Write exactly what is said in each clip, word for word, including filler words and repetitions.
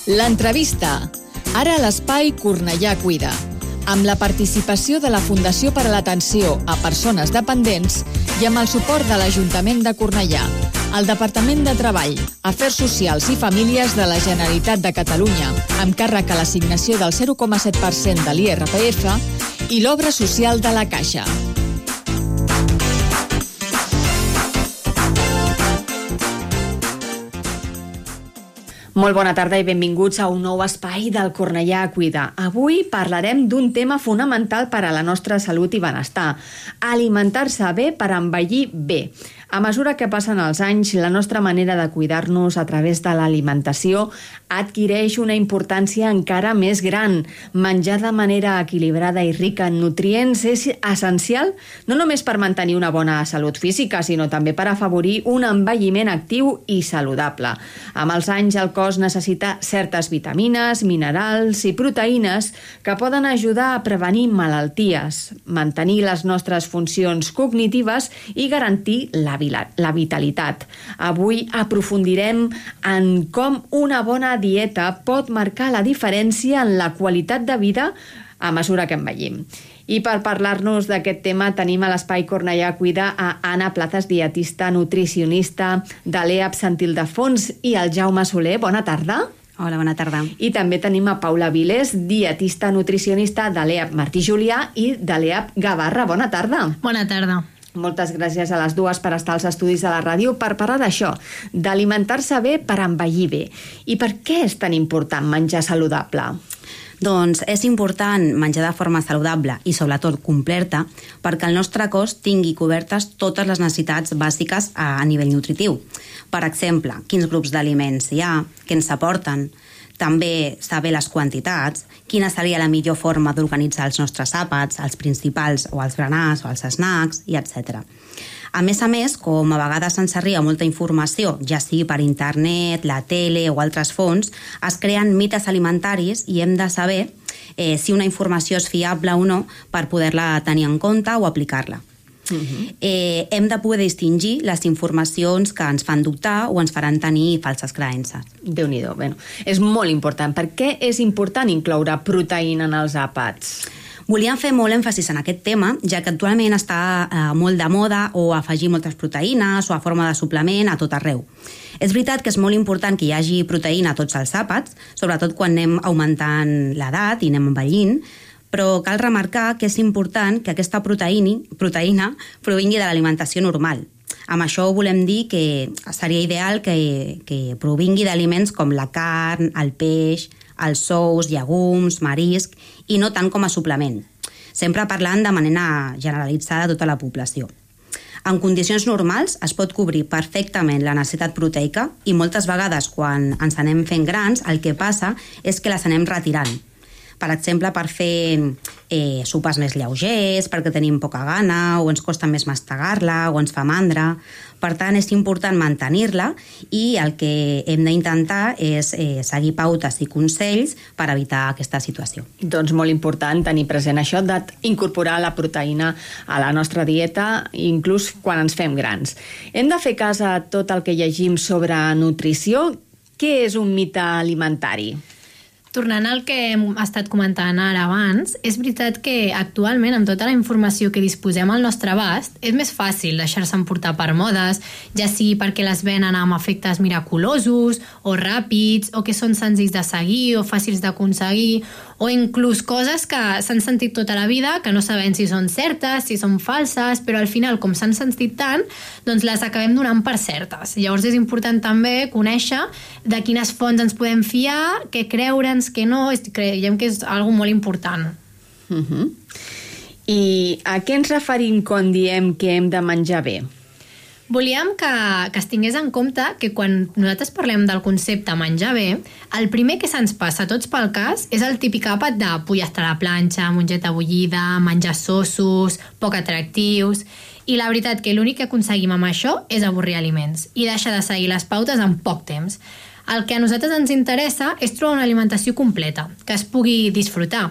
L'entrevista. Ara a l'espai Cornellà Cuida, amb la participació de la Fundació per a l'Atenció a Persones Dependents i amb el suport de l'Ajuntament de Cornellà, el Departament de Treball, Afers Socials i Famílies de la Generalitat de Catalunya, amb càrrec a l'assignació del zero coma set per cent de l'I R P F i l'Obra Social de la Caixa. Molt bona tarda i benvinguts a un nou espai del Cornellà Cuida. Avui parlarem d'un tema fonamental per a la nostra salut i benestar: alimentar-se bé per envellir bé. A mesura que passen els anys, la nostra manera de cuidar-nos a través de l'alimentació adquireix una importància encara més gran. Menjar de manera equilibrada i rica en nutrients és essencial no només per mantenir una bona salut física, sinó també per afavorir un envelliment actiu i saludable. Amb els anys, el cos necessita certes vitamines, minerals i proteïnes que poden ajudar a prevenir malalties, mantenir les nostres funcions cognitives i garantir la la vitalitat. Avui aprofundirem en com una bona dieta pot marcar la diferència en la qualitat de vida a mesura que envellim. I per parlar-nos d'aquest tema tenim a l'Espai Cornellà Cuida a Anna Plazas, dietista nutricionista de l'E A P Sant Ildefons, i el Jaume Soler. Bona tarda. Hola, bona tarda. I també tenim a Paula Vilés, dietista nutricionista de l'E A P Martí Julià i de l'E A P Gavarra. Bona tarda. Bona tarda. Moltes gràcies a les dues per estar als estudis de la ràdio per parlar d'això, d'alimentar-se bé per envellir bé. I per què és tan important menjar saludable? Doncs és important menjar de forma saludable i sobretot completa perquè el nostre cos tingui cobertes totes les necessitats bàsiques a nivell nutritiu. Per exemple, quins grups d'aliments hi ha, què ens aporten, també saber les quantitats, quina seria la millor forma d'organitzar els nostres àpats, els principals o els granars o els snacks, i etcètera. A més a més, com a vegades ens arriba molta informació, ja sigui per internet, la tele o altres fonts, es creen mites alimentaris i hem de saber eh, si una informació és fiable o no per poder-la tenir en compte o aplicar-la. Uh-huh. eh, hem de poder distingir les informacions que ens fan dubtar o ens faran tenir falses creences. Déu-n'hi-do. Bueno, és molt important. Per què és important incloure proteïna en els àpats? Volíem fer molt èmfasis en aquest tema, ja que actualment està eh, molt de moda o afegir moltes proteïnes o a forma de suplement a tot arreu. És veritat que és molt important que hi hagi proteïna a tots els àpats, sobretot quan anem augmentant l'edat i anem envellint, però cal remarcar que és important que aquesta proteïna, proteïna provingui de l'alimentació normal. Amb això volem dir que seria ideal que, que provingui d'aliments com la carn, el peix, els ous, llegums, marisc, i no tant com a suplement, sempre parlant de manera generalitzada a tota la població. En condicions normals es pot cobrir perfectament la necessitat proteica i moltes vegades quan ens anem fent grans el que passa és que les anem retirant. Per exemple, per fer eh, sopes més lleugers, perquè tenim poca gana, o ens costa més mastegar-la, o ens fa mandra. Per tant, és important mantenir-la i el que hem d'intentar és eh, seguir pautes i consells per evitar aquesta situació. Doncs molt important tenir present això d'incorporar la proteïna a la nostra dieta, inclús quan ens fem grans. Hem de fer cas a tot el que llegim sobre nutrició. Què és un mite alimentari? Tornant al que hem estat comentant ara abans, és veritat que actualment, amb tota la informació que disposem al nostre abast, és més fàcil deixar-se emportar per modes, ja sigui perquè les venen amb efectes miraculosos o ràpids, o que són senzills de seguir o fàcils d'aconseguir, o inclús coses que s'han sentit tota la vida, que no sabem si són certes, si són falses, però al final, com s'han sentit tant, doncs les acabem donant per certes. Llavors és important també conèixer de quines fonts ens podem fiar, què creure'ns, què no, creiem que és algo molt important. Uh-huh. I a què ens referim quan diem que hem de menjar bé? Volíem que, que es tingués en compte que quan nosaltres parlem del concepte menjar bé, el primer que se'ns passa a tots pel cas és el típic àpat de pollastre a la planxa, mongeta bullida, menjar sossos, poc atractius, i la veritat que l'únic que aconseguim amb això és avorrir aliments i deixar de seguir les pautes en poc temps. El que a nosaltres ens interessa és trobar una alimentació completa, que es pugui disfrutar.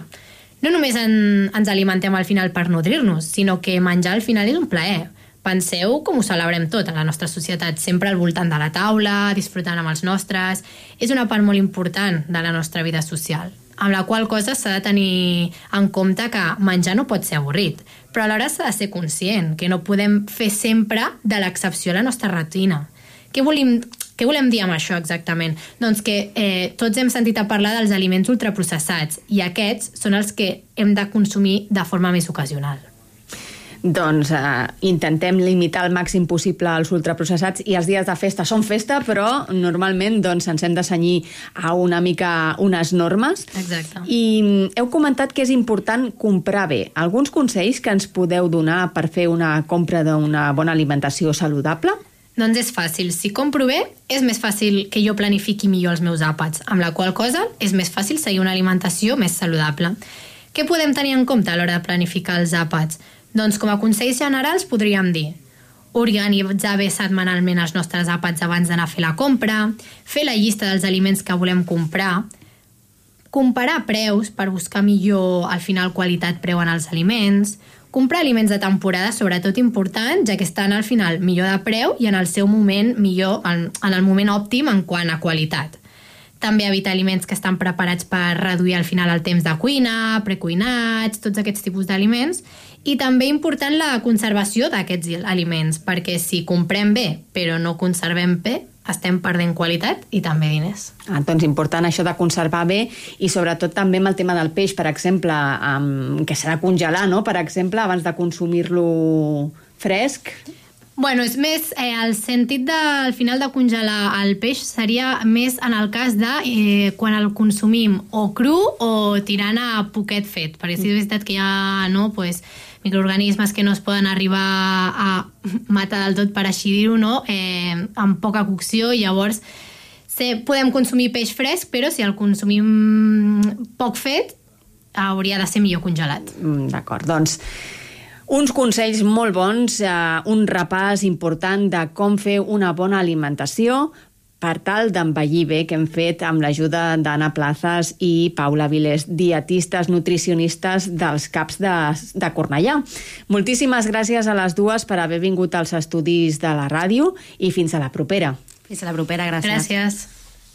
No només en, ens alimentem al final per nodrir-nos, sinó que menjar al final és un plaer. Penseu com ho celebrem tot a la nostra societat, sempre al voltant de la taula, disfrutant amb els nostres. És una part molt important de la nostra vida social, amb la qual cosa s'ha de tenir en compte que menjar no pot ser avorrit, però alhora s'ha de ser conscient que no podem fer sempre de l'excepció a la nostra rutina. Què volem, què volem dir amb això exactament? Doncs que eh, tots hem sentit a parlar dels aliments ultraprocessats i aquests són els que hem de consumir de forma més ocasional. Doncs eh, intentem limitar al màxim possible els ultraprocessats i els dies de festa són festa, però normalment doncs, ens hem de cenyir a una mica unes normes. Exacte. I heu comentat que és important comprar bé. Alguns consells que ens podeu donar per fer una compra d'una bona alimentació saludable? Doncs és fàcil. Si compro bé, és més fàcil que jo planifiqui millor els meus àpats, amb la qual cosa és més fàcil seguir una alimentació més saludable. Què podem tenir en compte a l'hora de planificar els àpats? Doncs com a consells generals podríem dir organitzar bé setmanalment els nostres àpats abans d'anar a fer la compra, fer la llista dels aliments que volem comprar, comparar preus per buscar millor al final qualitat-preu en els aliments, comprar aliments de temporada, sobretot important, ja que estan al final millor de preu i en el seu moment millor, en, en el moment òptim en quant a qualitat. També evitar aliments que estan preparats per reduir al final el temps de cuina, precuinats, tots aquests tipus d'aliments. I també important la conservació d'aquests aliments, perquè si comprem bé però no conservem bé, estem perdent qualitat i també diners. Ah, doncs important això de conservar bé i sobretot també amb el tema del peix, per exemple, um, que s'ha de congelar, no? Per exemple, abans de consumir-lo fresc. Bueno, és més, eh, el sentit de, al final de congelar el peix seria més en el cas de eh, quan el consumim o cru o tirant a poquet fet, perquè si és veritat que hi ha no, pues, microorganismes que no es poden arribar a matar del tot, per així dir-ho, no? eh, amb poca cocció, i llavors se, podem consumir peix fresc, però si el consumim poc fet, hauria de ser millor congelat. Mm, d'acord, doncs uns consells molt bons, eh, un repàs important de com fer una bona alimentació per tal d'envellir bé, que hem fet amb l'ajuda d'Anna Plazas i Paula Vilés, dietistes, nutricionistes dels CAPs de, de Cornellà. Moltíssimes gràcies a les dues per haver vingut als estudis de la ràdio i fins a la propera. Fins a la propera, gràcies. Gràcies.